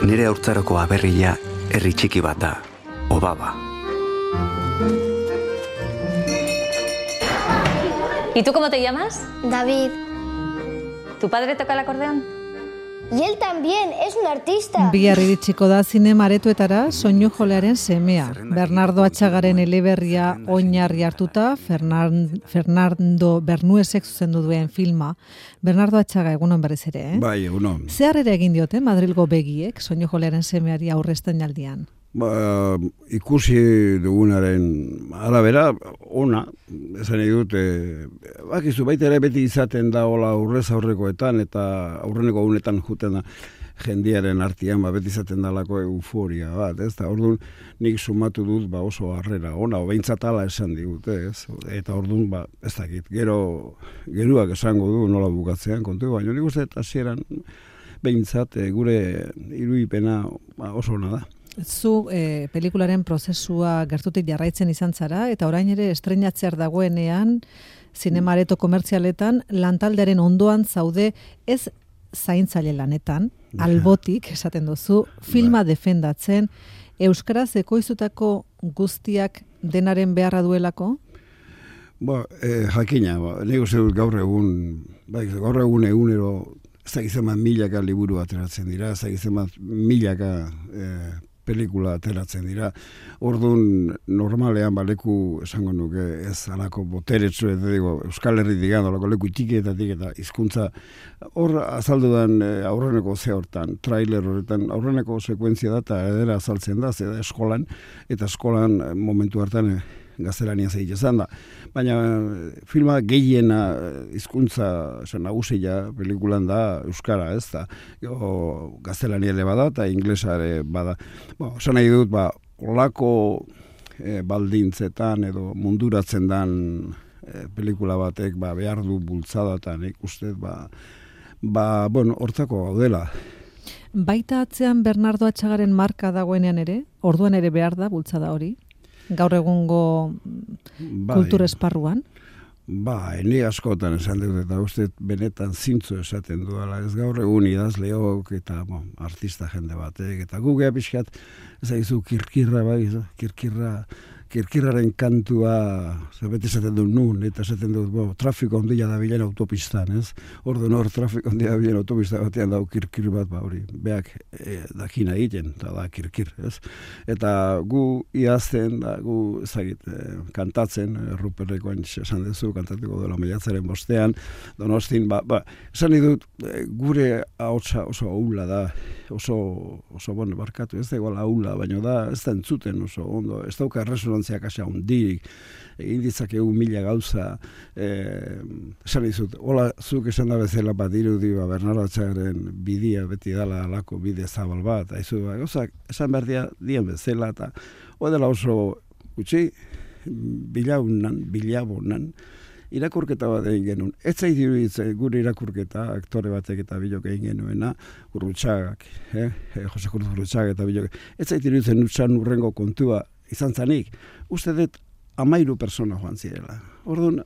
Nire haurtzaroko aberria herri txiki bat da, Obaba. ¿Y tú cómo te llamas? David. ¿Tu padre toca el acordeón? Y él también, es un artista. Bihar iritsiko da zinema aretoetara soinu jolearen semea. Bernardo Atxagaren eleberria oinarri hartuta, Fernando Bernuesek zuzendu duen filma. Bernardo Atxaga, egunon berriz ere, eh? Bai, egunon. Zer ere egin diote Madrilgo begiek soinu jolearen semeari aurrezten jaldian? Ikusi dugunaren arabera, ona, esan nahi dut, bakizu, baita ere beti izaten da hola aurrez aurrekoetan eta aurreneko unetan juten da jendiaren artean, beti izaten dalako euforia bat, ez da, orduan nik sumatu dut oso harrera, ona, behintzat ala esan digut, ez, eta orduan, ez dakit, geruak esango du nola bukatzean kontu, baina nik uste hasieran behintzat gure irudipena oso ona da. Zu pelikularen prozesua gertutik jarraitzen izan zara, eta orain ere estreinatzear dagoenean, zinemareto komertzialetan, lantaldearen ondoan zaude ez zaintzaile lanetan, albotik, esaten duzu, filma defendatzen, euskaraz ekoizutako guztiak denaren beharra duelako? Jakina, nik uste dut gaur egun egunero, ez dakizeman milaka liburu ateratzen dira, ez dakizeman milaka pelikula ateratzen dira. Orduan, normalean leku esango nuke ez alako boteretsu, Euskal Herri digan, alako leku txikietatik eta hizkuntza hor azaldudan aurreneko hortan, trailer horretan, aurreneko sekuentzia da eta edera azaltzen da, zeda eskolan, eta eskolan momentu hartan gaztelania zeitezan da. Baina filma gehiena hizkuntza nagusia pelikulan da euskara, ez da. Gaztelania ere bada eta inglesa ere bada. Esan nahi dut, olako baldintzetan edo munduratzen dan pelikula batek behar du bultzadatan ikusten, hortzako gaudela. Baita atzean Bernardo Atxagaren marka dagoenean ere, orduan ere behar da bultzada hori? Gaur egungo kultur esparruan? Ni askotan esan dut eta uste benetan zintzo esaten duela. Ez gaur egun idazleok eta artista jende batek eta gugea pixkat ezaizu kirkirraren kantua beti esaten dut nun eta esaten dut trafiko ondila da bilen autopistan, ez? Orduan hor trafiko ondila da bilen autopista batean dau kirkir bat, hori beak dakina egiten, eta da kirkir, ez? Eta gu idazten, gu ezagit kantatzen, Ruperrekoan esan duzu, kantatuko dela maiatzaren bostean, Donostin, esan dut gure ahotsa oso ahula da, oso barkatu, ez da igual ahula, baina da ez da entzuten oso ondo, ez dauka resonantzia kasa hundirik, egin ditzakegu mila gauza, esan dizut, hola, zuk esan da bezala bat irudi, Bernardo Atxagaren bidia beti dala alako bide zabal bat, esan behar dien bezala, eta dela oso gutxi, bilabonan, irakurketa bat egin genuen. Ez zait iruditzen gure irakurketa, aktore batek eta bilok egin genuena, Gurrutxagak, Jose Cruz Gurrutxaga eta bilok. Ez zait iruditzen nutxan urrengo kontua izan zanik. Uste dut 13 persona joan zirela. Orduan,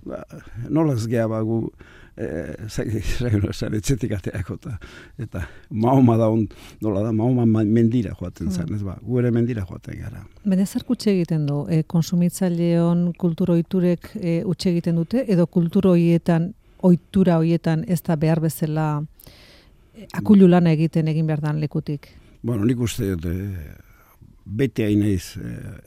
nolaz geha bagu, etxetik ateako eta Mahoma da nola da, Mahoma mendira joaten zen, ez gu ere mendira joaten gara. Baina zer kutxe egiten du? Konsumitzaileon kulturo ohiturek utxe egiten dute, edo kulturo ohitura horietan ez da behar bezala akulu lana egin behar dan lekutik? Nik uste beti hainaiz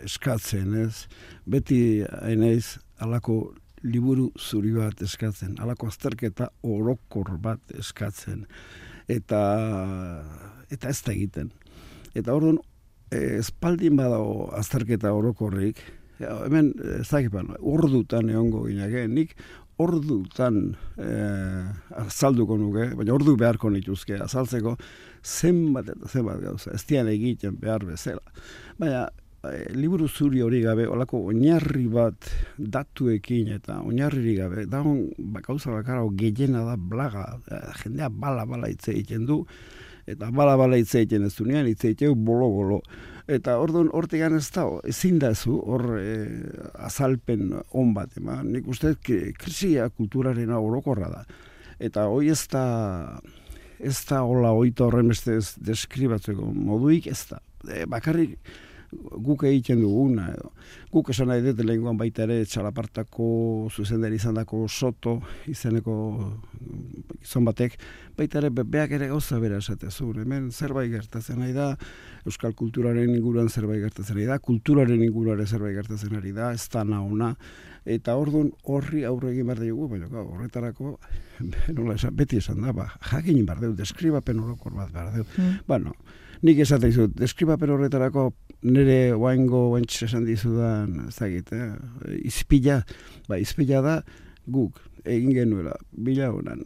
eskatzen, ez? Beti hainaiz alako liburu zuri bat eskatzen, alako azterketa orokor bat eskatzen, eta ez da egiten. Eta orduan, espaldin badago azterketa orokorrik, hemen, ez dakipan, ordutan egongo ginake, nik ordutan azalduko nuke, baina ordu beharko nituzke azaltzeko zenbat eta zenbat gauza, ez dian egiten behar bezala. Baina, liburu zuri hori gabe, olako oinarri bat datuekin eta oinarri gabe, dagoen gauza bakarra gehiena da blaga, jendea bala hitz egiten du, eta bala hitz egiten ez dunean, hitz egiten bolo. Eta orduan hortegan ez da, ezin da zu, hor azalpen on bat, nik uste krisia kulturarena orokorra da. Eta hoi ez da ez da hola oita horren beste ez deskribatzeko moduik, ez da. Bakarrik guk egiten duguna, edo. Guk esan nahi dut lehenkoan baita ere txalapartako zuzendari izandako Soto izeneko gizon batek, baita ere beak ere gauza bera esatez, hemen zerbait gertatzen nahi da, euskal kulturaren inguruan zerbait gertatzen ari da, kulturaren inguruan zerbait gertatzen ari da, ez da naona, eta orduan horri aurre egin behar dugu, baina horretarako nola esan, beti esan da, jakin behar dugu, deskribapen orokor bat behar dugu. Bueno, nik esaten dizut, deskribapen horretarako nire oaintxe esan dizudan, ez dakit, izpila da guk egin genuela, bila honan,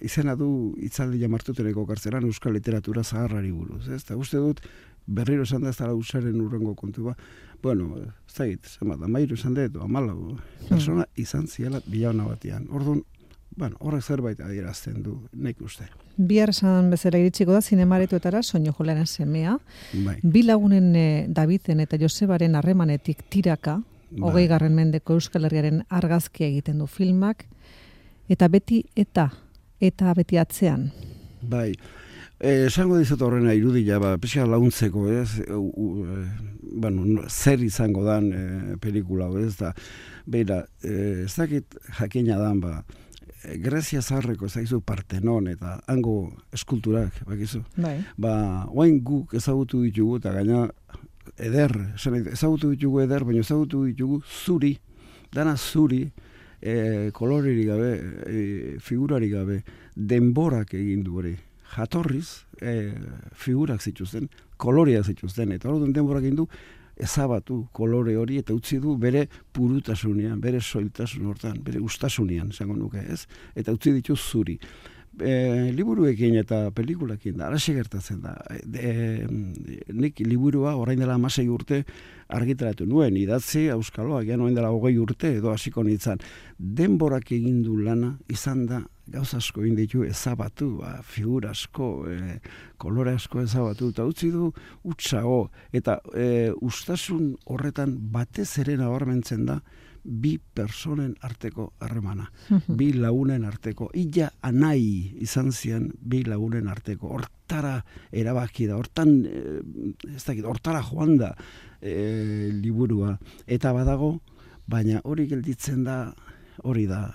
izena du itzaldia martuteneko kartzelan euskal literatura zaharrari buruz, ez da, uste dut, berriro esan da ez dara usaren urrengo kontu ba, bueno, ez dakit, amairu esan dut, amalau, persona izan ziela bila hona batian, orduan, bueno, horrek zerbait adierazten du, nek uste. Bihar esan bezala iritsiko da zinemaretoetara Soinu Jolaren semea. Bai. Bi lagunen Daviden eta Josebaren harremanetik tiraka, 20. mendeko Euskal Herriaren argazkia egiten du filmak, eta beti beti atzean. Bai. Esango dizut horrena irudia, pixka launtzeko, ez? Zer izango dan pelikula, ez da? Beira, ez dakit jakina dan, Grezia zaharreko zaizu Partenon eta hango eskulturak, bakizu. Bai. Oain guk ezagutu ditugu, eta gaina ezagutu ditugu eder, baina ezagutu ditugu zuri, dana zuri, kolorerik gabe, figurarik gabe, denborak egin du hori. Jatorriz, figurak zituzten, koloreak zituzten, eta hori denborak egin du, ezabatu kolore hori eta utzi du bere purutasunean, bere soiltasun hortan, bere ustasunean, esango nuke, ez? Eta utzi ditu zuri. Liburuekin eta pelikulakin da, araxe gertatzen da. Nik liburua orain dela 16 urte argitaratu nuen, idatzi auskaloa, orain dela 20 urte edo hasiko nintzen. Denborak egin du lana izan da gauza asko egin ditu ezabatu, figura asko, kolore asko ezabatu, eta utzi du utzago, eta ustasun horretan batez ere nabarmentzen da bi personen arteko harremana, bi lagunen arteko, illa anai izan zian bi lagunen arteko, hortara erabaki da, hortara joan da liburua, eta badago, baina hori gelditzen da, hori da,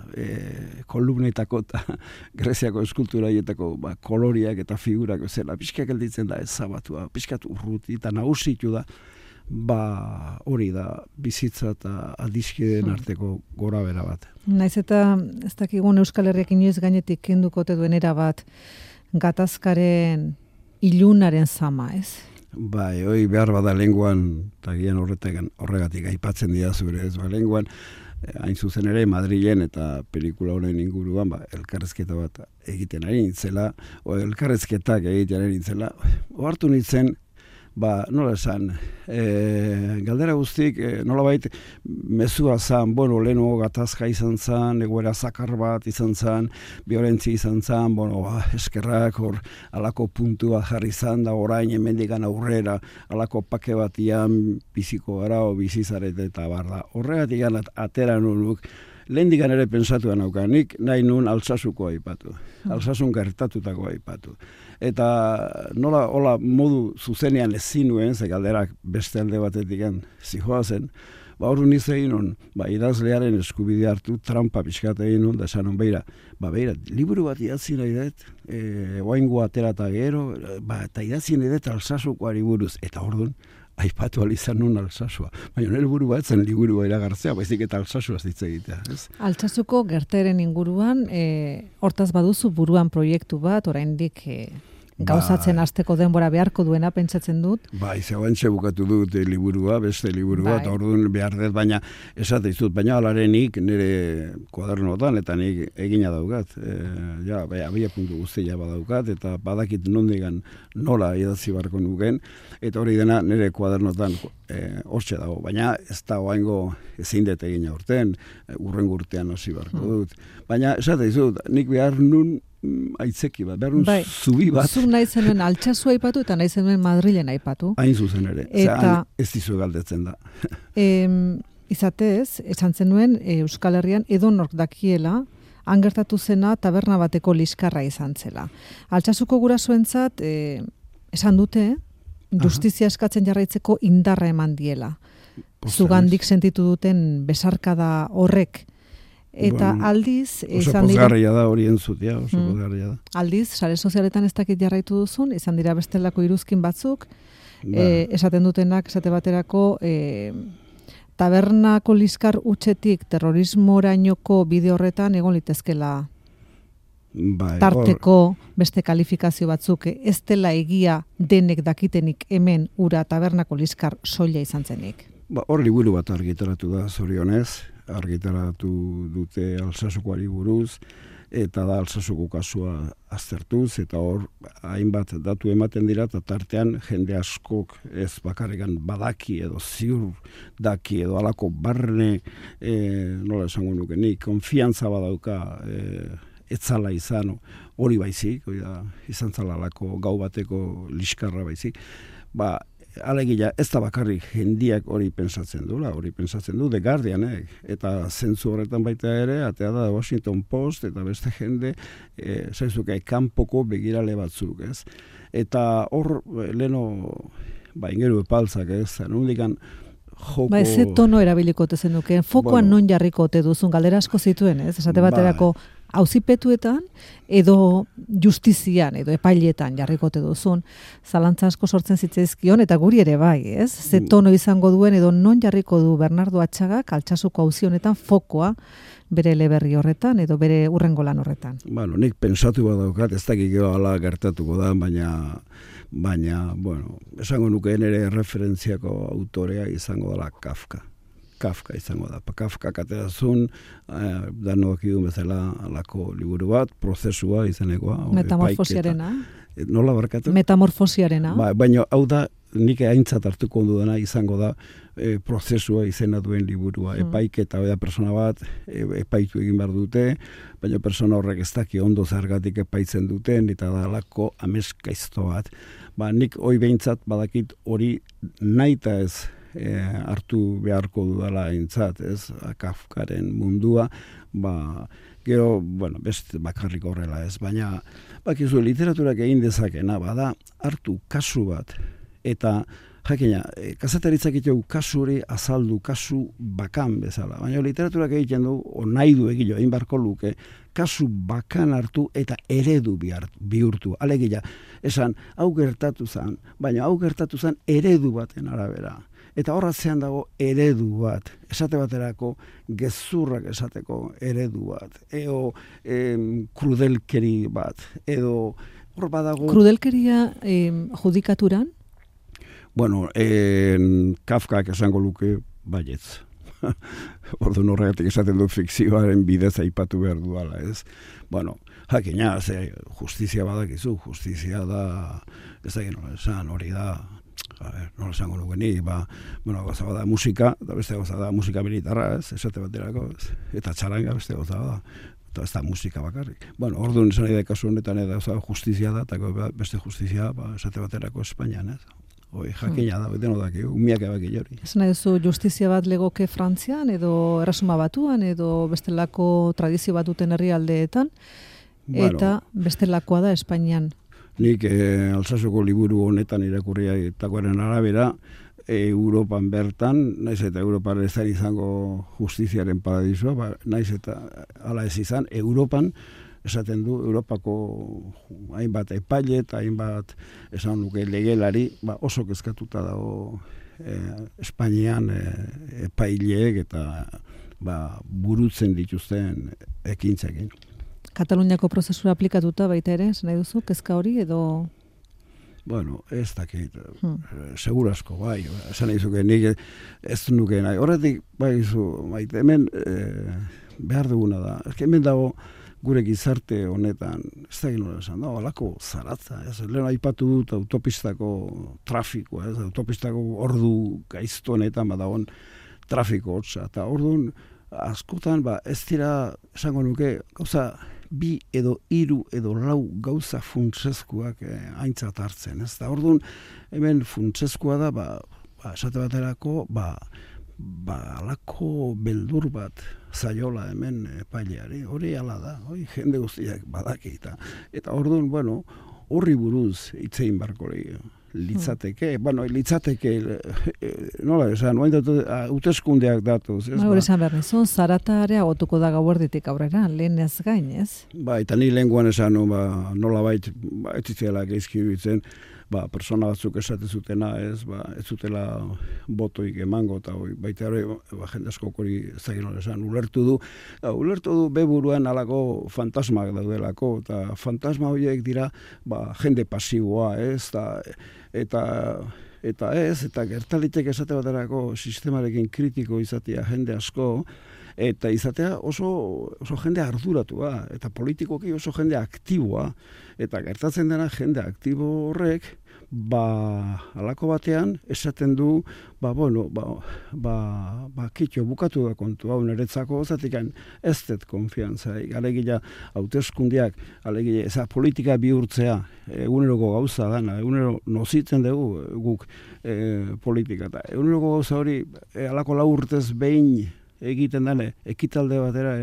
kolumnetako eta Greziako eskulturaietako koloriak eta figurak zela, pixka gelditzen da ezabatua, pixkat urruti eta nagusitu da, hori da bizitza eta adiskideen arteko gora bera bat. Naiz eta ez dakigun Euskal Herriak inoiz gainetik kendukote duen era bat gatazkaren ilunaren zama, ez? Bai, hoi behar bada lenguan, eta gian horregatik aipatzen dira zure, ez lenguan, hain zuzen ere Madrilen eta pelikula honen inguruan elkarrezketa bat egiten ari nintzela, elkarrezketak egiten ari nintzela, ohartu nintzen, nola esan, galdera guztik, nola bait, mezua zan, leheno gatazka izan zan, egoera zakar bat izan zan, violentzia izan zan, eskerrak hor, alako puntua jarri zan, da orain hemendikan aurrera, alako pake batian biziko gara, o bizizaret eta barda. Horregatik atera nunuk, lehendikan ere pensatuan aukanik, nahi nun Altsasuko aipatu, Altsasun gertatutako aipatu. Eta nola hola modu zuzenean ezin nuen, ze galderak beste alde batetik zijoa zen, hori niz egin nun, idazlearen eskubidea hartu, trampa pixkat egin nun, da esan nun, beira, liburu bat idatzi nahi dut, oaingo atera eta gero, eta idatzi nahi dut Altsasukoari buruz, eta orduan, aipatu alizan nun Altsasua. Baina nire buru bat zen liburua iragartzea, baizik eta Altsasua zitza egitea. Altsasuko gertaeren inguruan, hortaz baduzu buruan proiektu bat, oraindik gauzatzen hasteko denbora beharko duena pentsatzen dut. Zeuantxe bukatu dut liburua, beste liburua, eta orduan behar dut, baina esate izut, baina alarenik nire kuadernotan, eta nik egina daukat. Abia puntu guztia badaukat, eta badakit nondigan nola idatzi barko nuken, eta hori dena nire kuadernotan hortxe dago, baina ez da oaingo ezin dut egina urtean, urrengo urtean hasi barko dut. Baina esate izut, nik behar nun aitzeki bat, behar nun zubi bat. Zuk nahi zenuen Altsasua aipatu eta nahi zenuen Madrilen aipatu. Hain zuzen ere, ez dizu galdetzen da. Izatez, esan zenuen Euskal Herrian edonor dakiela han gertatu zena taberna bateko liskarra izan zela. Altsasuko gurasoentzat esan dute justizia eskatzen jarraitzeko indarra eman diela. Zugandik sentitu duten besarkada horrek. Eta aldiz oso pozgarria da hori entzutea, oso pozgarria da. Aldiz, sare sozialetan ez dakit jarraitu duzun, izan dira bestelako iruzkin batzuk, esaten dutenak, esate baterako, tabernako liskar utxetik terrorismorainoko bide horretan egon litezkela tarteko beste kalifikazio batzuk, ez dela egia denek dakitenik hemen ura tabernako liskar soila izan zenik. Hor liburu bat argitaratu da, zorionez, argitaratu dute Altsasukoari buruz, eta da Altsasuko kasua aztertuz, eta hor hainbat datu ematen dira, eta tartean jende askok ez bakarrikan badaki edo ziur daki edo alako barne, nola esango nuke nik, konfiantza badauka etzala izan, hori baizik, izan zala alako gau bateko liskarra baizik, alegia ez da bakarrik jendiak hori pensatzen du, The Guardianek, eta zentzu horretan baita ere, atea da Washington Post, eta beste jende, zaizuke, kanpoko begirale batzuk, ez? Eta hor, leno, ingeru epaltzak, ez? Nundikan, joko... Ez tono erabiliko te zenuke, fokoan non jarriko te duzun, galdera asko zituen, ez? Esate baterako, auzipetuetan edo justizian edo epailetan jarrikote duzun, zalantza asko sortzen zitzaizkion eta guri ere bai, ez? Ze tono izango duen edo non jarriko du Bernardo Atxagak Altsasuko auzi honetan fokoa bere eleberri horretan edo bere hurrengo lan horretan. Nik pensatu badaukat, ez dakik hala gertatuko da, baina, esango nukeen ere referentziako autorea izango dela Kafka izango da. Kafka katerazun, danok idun bezala alako liburu bat, prozesua izanekoa. Metamorfosiarena. Nola barkatu? Metamorfosiarena. Baina hau da, nik aintzat hartuko dudana izango da prozesua izena duen liburua. Epaiketa da persona bat, epaitu egin behar dute, baina persona horrek ez daki ondo zergatik epaitzen duten, eta da alako ameskaizto bat. Nik hoi behintzat badakit hori naita ez hartu beharko dudala aintzat, ez, Kafkaren mundua, gero, beste bakarrik horrela ez, baina, bakizu, literaturak egin dezakena, bada, hartu kasu bat, eta, jakina, kazetaritzak egiteu kasu hori azaldu, kasu bakan bezala, baina literaturak egiten du, nahi du egilo, egin barko luke, kasu bakan hartu eta eredu bihurtu, alegia, esan, hau gertatu zen, baina hau gertatu zen eredu baten arabera. Eta horratzean dago eredu bat, esate baterako gezurrak esateko eredu bat, edo krudelkeri bat, edo hor badago... Krudelkeria judikaturan? Kafkak esango luke baietz. Orduan horregatik esaten du fikzioaren bidez aipatu behar duala, ez? Jakina, justizia badakizu, justizia da, ez da geno, esan hori da, nola esango nukeni, gauza bada musika, eta beste gauza da musika militarra, ez, esate baterako, eta txaranga beste gauza da, eta ez da musika bakarrik. Orduan esan nahi da kasu honetan justizia da, eta beste justizia, esate baterako Espainian, ez. Jakina da, beten odaki, umiak ebaki jori. Ez nahi duzu justizia bat legoke Frantzian, edo Erresuma Batuan, edo bestelako tradizio bat duten herrialdeetan, eta bestelakoa da Espainian. Nik Altsasuko liburu honetan irakurriakoaren arabera, Europan bertan, naiz eta Europan ez izango justiziaren paradisua, naiz eta hala ez izan, Europan, esaten du, Europako hainbat epaile eta hainbat esan nuke legelari, oso kezkatuta dago Espainian epaileek eta burutzen dituzten ekintzekin. Kataluniako prozesura aplikatuta baita ere, esan nahi duzu, kezka hori edo... Ez dakit, segur asko, esan nahi zuke, nik ez nuke nahi. Horretik, hemen behar duguna da, hemen dago gure gizarte honetan, ez da ginola esan, alako zaratza, lehen aipatu dut autopistako trafikoa, autopistako ordu gaizto honetan badagoen trafiko hotza, eta orduan askotan, ez dira, esango nuke, gauza, 2 edo 3 edo 4 gauza funtsezkoak aintzat hartzen, ez da, orduan, hemen funtsezkoa da, esate baterako, alako beldur bat, zaiola hemen epaileari, hori hala da, hori jende guztiak badaki, eta orduan, bueno, horri buruz itzein barko litzateke, litzateke, nola esan, hauteskundeak datuz. Hori esan behar nizun, zarata areagotuko da gauerditik aurrera, lehen ez gain, ez? Eta ni lehenguan esan, nola bait, ez zitzela geizki bitzen, persona batzuk esate zutena, ez zutela botoik emango, eta baita hori, jende asko hori zagin hori esan, ulertu du beburuan alako fantasmak daudelako, eta fantasma horiek dira, jende pasiboa, ez, eta gertalitek esate baterako sistemarekin kritiko izatea jende asko, eta izatea oso jende arduratua, eta politikoki oso jende aktiboa, eta gertatzen dena jende aktibo horrek, halako batean esaten du, kitxo bukatu da kontu hau niretzako, zatekan ez dut konfiantza, alegia hauteskundeak, alegia eza politika bihurtzea, eguneroko gauza dana, egunero nozitzen dugu guk politika, eta eguneroko gauza hori halako lau urtez behin egiten dane, ekitalde batera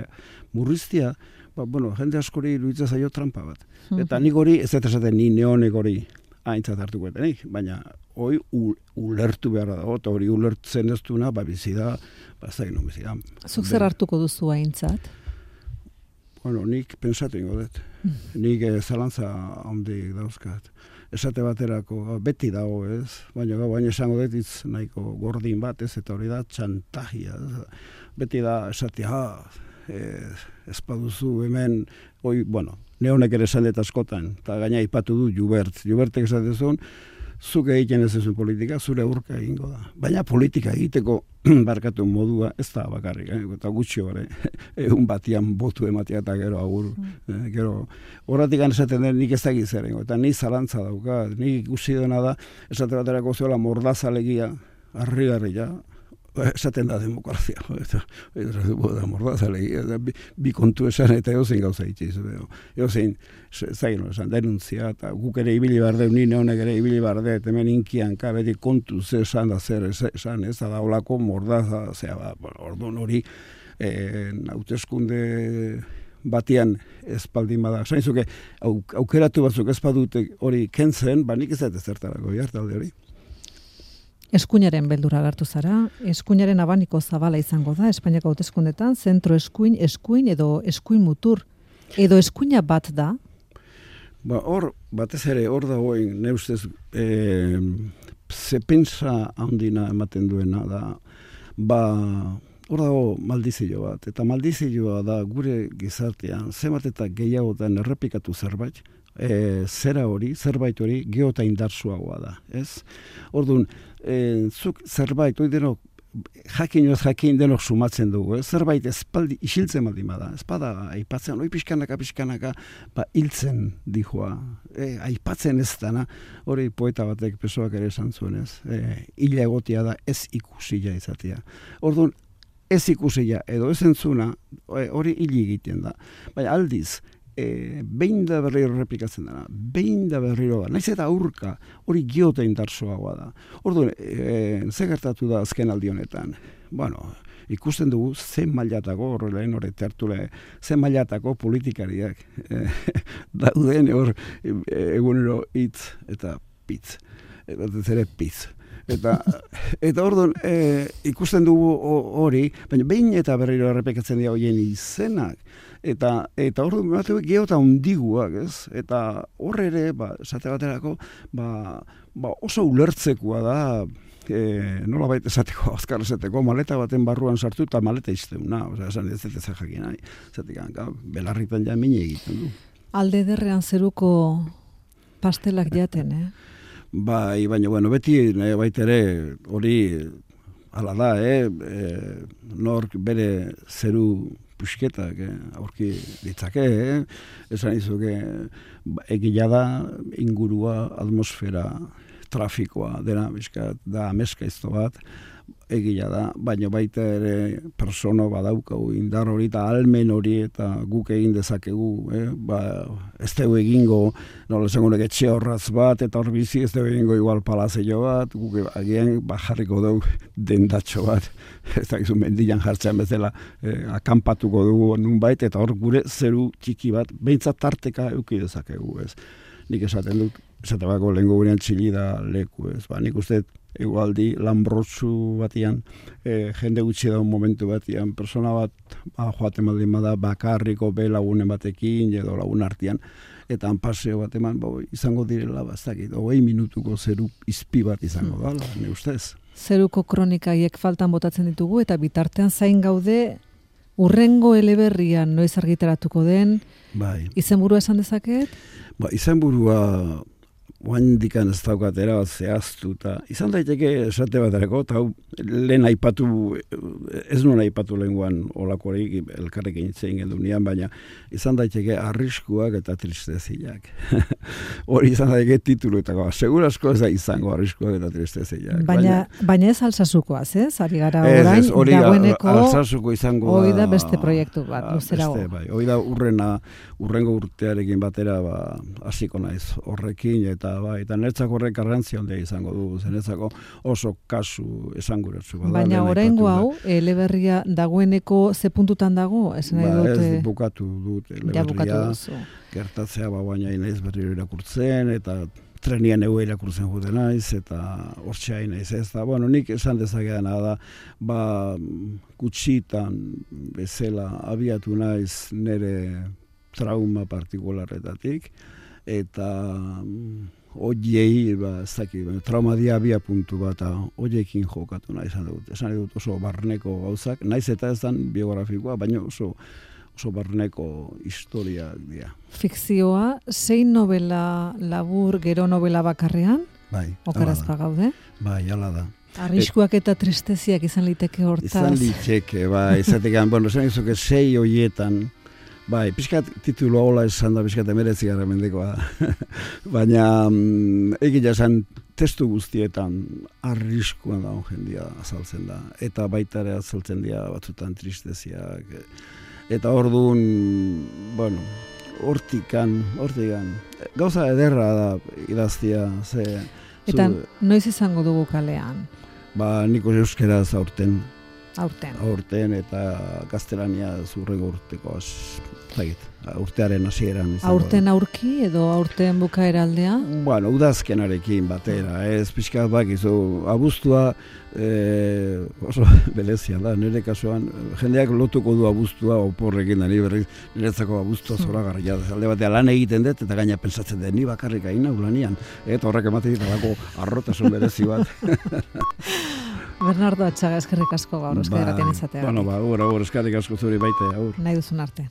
murriztia, jende askori iruditzen zaio trampa bat. Eta nik hori, ez dut esaten ni neonek hori aintzat hartuko etenik, baina hori ulertu behar dago, eta hori ulertzen ez duna, bizida, zaino bizida. Zuk zer hartuko duzu aintzat? Nik pensatu ingo dut. Nik zalantza handik dauzkat. Esate baterako, beti dago, ez? Baina esango dut itz nahiko gordin bat, ez? Eta hori da txantajia. Beti da esatea, ez baduzu hemen, neonek ere esan dut askotan, eta gaina ipatu du Jubertek esatezun, zuk egiten ez ezun politika, zure aurka egingo da. Baina politika egiteko barkatu modua ez da bakarrik, eta gutxi bare, egun batian botu ematea eta gero agur. Gero, horretik esaten den nik ez da gizerengo, eta ni zalantza dauka, nik ikusi dena da, esate baterako zuela mordazalegia, harri-harria, esaten da demokrazia, eta mordazalegia, bi kontu esan eta eozein gauza itxiz, eozein, zain esan, denuntzia, eta guk ere ibili barde, nine honek ere ibili barde, hemen inkianka, beti kontu ze esan da zer esan, ez da daulako mordaza, orduan hori, hauteskunde batian espaldin bada. Zainzuke, aukeratu batzuk ez badute hori kentzen, nik ez dut ezertarako jartalde hori. Eskuinaren beldura agertu zara, eskuinaren abaniko zabala izango da, Espainiako hauteskundetan, zentro eskuin edo eskuin mutur, edo eskuina bat da? Hor, batez ere, hor dagoen, ne ustez, ze pentsa handina ematen duena da, hor dago maldizio bat, eta maldizioa da gure gizartean, zemat eta gehiagotan errepikatu zerbait, zerbait hori geota indartsuagoa da, ez? Orduan, zuk zerbait, hori denok, jakin denok sumatzen dugu, zerbait espaldi isiltzen baldin bada, espada aipatzen, hori pixkanaka, hiltzen dijoa, aipatzen ez dana, hori poeta batek Pesoak ere esan zuen, ez? Hila egotia da ez ikusila izatea. Orduan, ez ikusila edo ez entzuna, hori hili egiten da. Baina aldiz, behin da berriro repikatzen dena, naiz eta aurka, hori geota indartsuagoa da. Orduan, ze gertatu da azken aldi honetan? Ikusten dugu zen mailatako, horrelain horret hartule, zen mailatako politikariak dauden hor egunero hitz eta pitz. Eta zere pitz. Eta orduan ikusten dugu hori, baina behin eta berriro errepikatzen dira horien izenak, eta orduan geota hundiguak, ez? Eta horre ere, esate baterako, oso ulertzekoa da, nola baita esateko, azkar esateko, maleta baten barruan sartu eta maleta izteuna, esan ez dut ezak jakin nahi, zatik, belarritan ja mine egiten du. Alde derrean zeruko pastelak jaten, baina, beti baitere hori ala da, nork bere zeru pusketak aurki ditzake, esan izuke egila da ingurua, atmosfera, trafikoa dena, bizkat, da ameskaizto bat, egia da, baina baita ere persona badaukagu indar hori eta almen hori eta guk egin dezakegu, ez dugu egingo, nola esango nek etxe horraz bat, eta hor bizi ez dugu egingo igual palazio bat, guk agian jarriko dugu dendatxo bat, ez da gizu mendian jartzean bezala akampatuko dugu nunbait, eta hor gure zeru txiki bat, behintzat tarteka euki dezakegu, ez. Nik esaten dut, esatebako lehenko gurean txilida leku, ez, nik uste egualdi lanbrotsu batian, jende gutxi daun momentu batian, persona bat joaten baldin bada bakarriko lagunen batekin, edo lagun artean, eta paseo bat eman, izango direla bastakit, 20 minutuko zeru izpi bat izango da, ne ustez. Zeruko kronikaiek faltan botatzen ditugu, eta bitartean zain gaude, urrengo eleberrian noiz argitaratuko den, izenburua esan dezaket? Izenburua oain dikan ez daukatera bat zehaztu, eta izan daiteke esate baterako, eta lehen aipatu, ez nuen aipatu lehenguan olakorik elkarrekin itzein gendunean, baina izan daiteke arriskuak eta tristeziak. Hori izan daiteke tituluetako, segurasko ez da izango arriskuak eta tristeziak. Baina ez alsasukoaz, ez? Ari gara orain, dagoeneko, alsasuko izango hori da beste proiektu bat, luzerago. Hori da urrengo urtearekin batera hasiko naiz horrekin, eta netzako horrek garrantzia handia izango du, netzako oso kasu esanguratsu. Baina oraingo hau, eleberria dagoeneko ze puntutan dago? Ez bukatu dut eleberria, gertatzea baina inaiz berriro irakurtzen, eta trenian egu irakurtzen jute naiz, eta hortxea inaiz ez da. Nik esan dezakeana da, gutxitan bezala abiatu naiz nire trauma partikularretatik, eta oiei, trauma dia abia puntu bat, oiekin jokatu nahi esan dut oso barneko gauzak, naiz eta ez dan biografikoa, baina oso barneko historiak dira. Fikzioa, 6 novela labur, gero novela bakarrean? Bai, okarazpa gaude? Bai, ala da. Arriskuak eta tristeziak izan liteke hortaz? Izan liteke, izatekan, esan izuke 6 hoietan, pixkat titulu hola esan da, pixkat emeretzi gara mendekoa. Baina, egia esan testu guztietan arriskuan daun jendia azaltzen da. Eta baita ere azaltzen dira batzutan tristeziak. Eta orduan, hortikan, gauza ederra da idaztia. Eta noiz izango dugu kalean? Niko euskeraz aurten. Aurten eta gaztelania zurrengo urteko urtearen hasieran izango. Aurten aurki edo aurten bukaera aldea? Udazkenarekin batera, ez pixkat bakizu, abuztua oso belezia da, nire kasuan, jendeak lotuko du abuztua oporrekin da, niretzako abuztua zoragarria da, alde batean lan egiten dut, eta gaina pensatzen dut, ni bakarrik hain lanian, eta horrek ematen ditalako arrotasun berezi bat. Bernardo Atxaga, eskerrik asko gaur, eskerrik atean izatea. Eskerrik asko zuri baite, aur. Nahi duzun arte.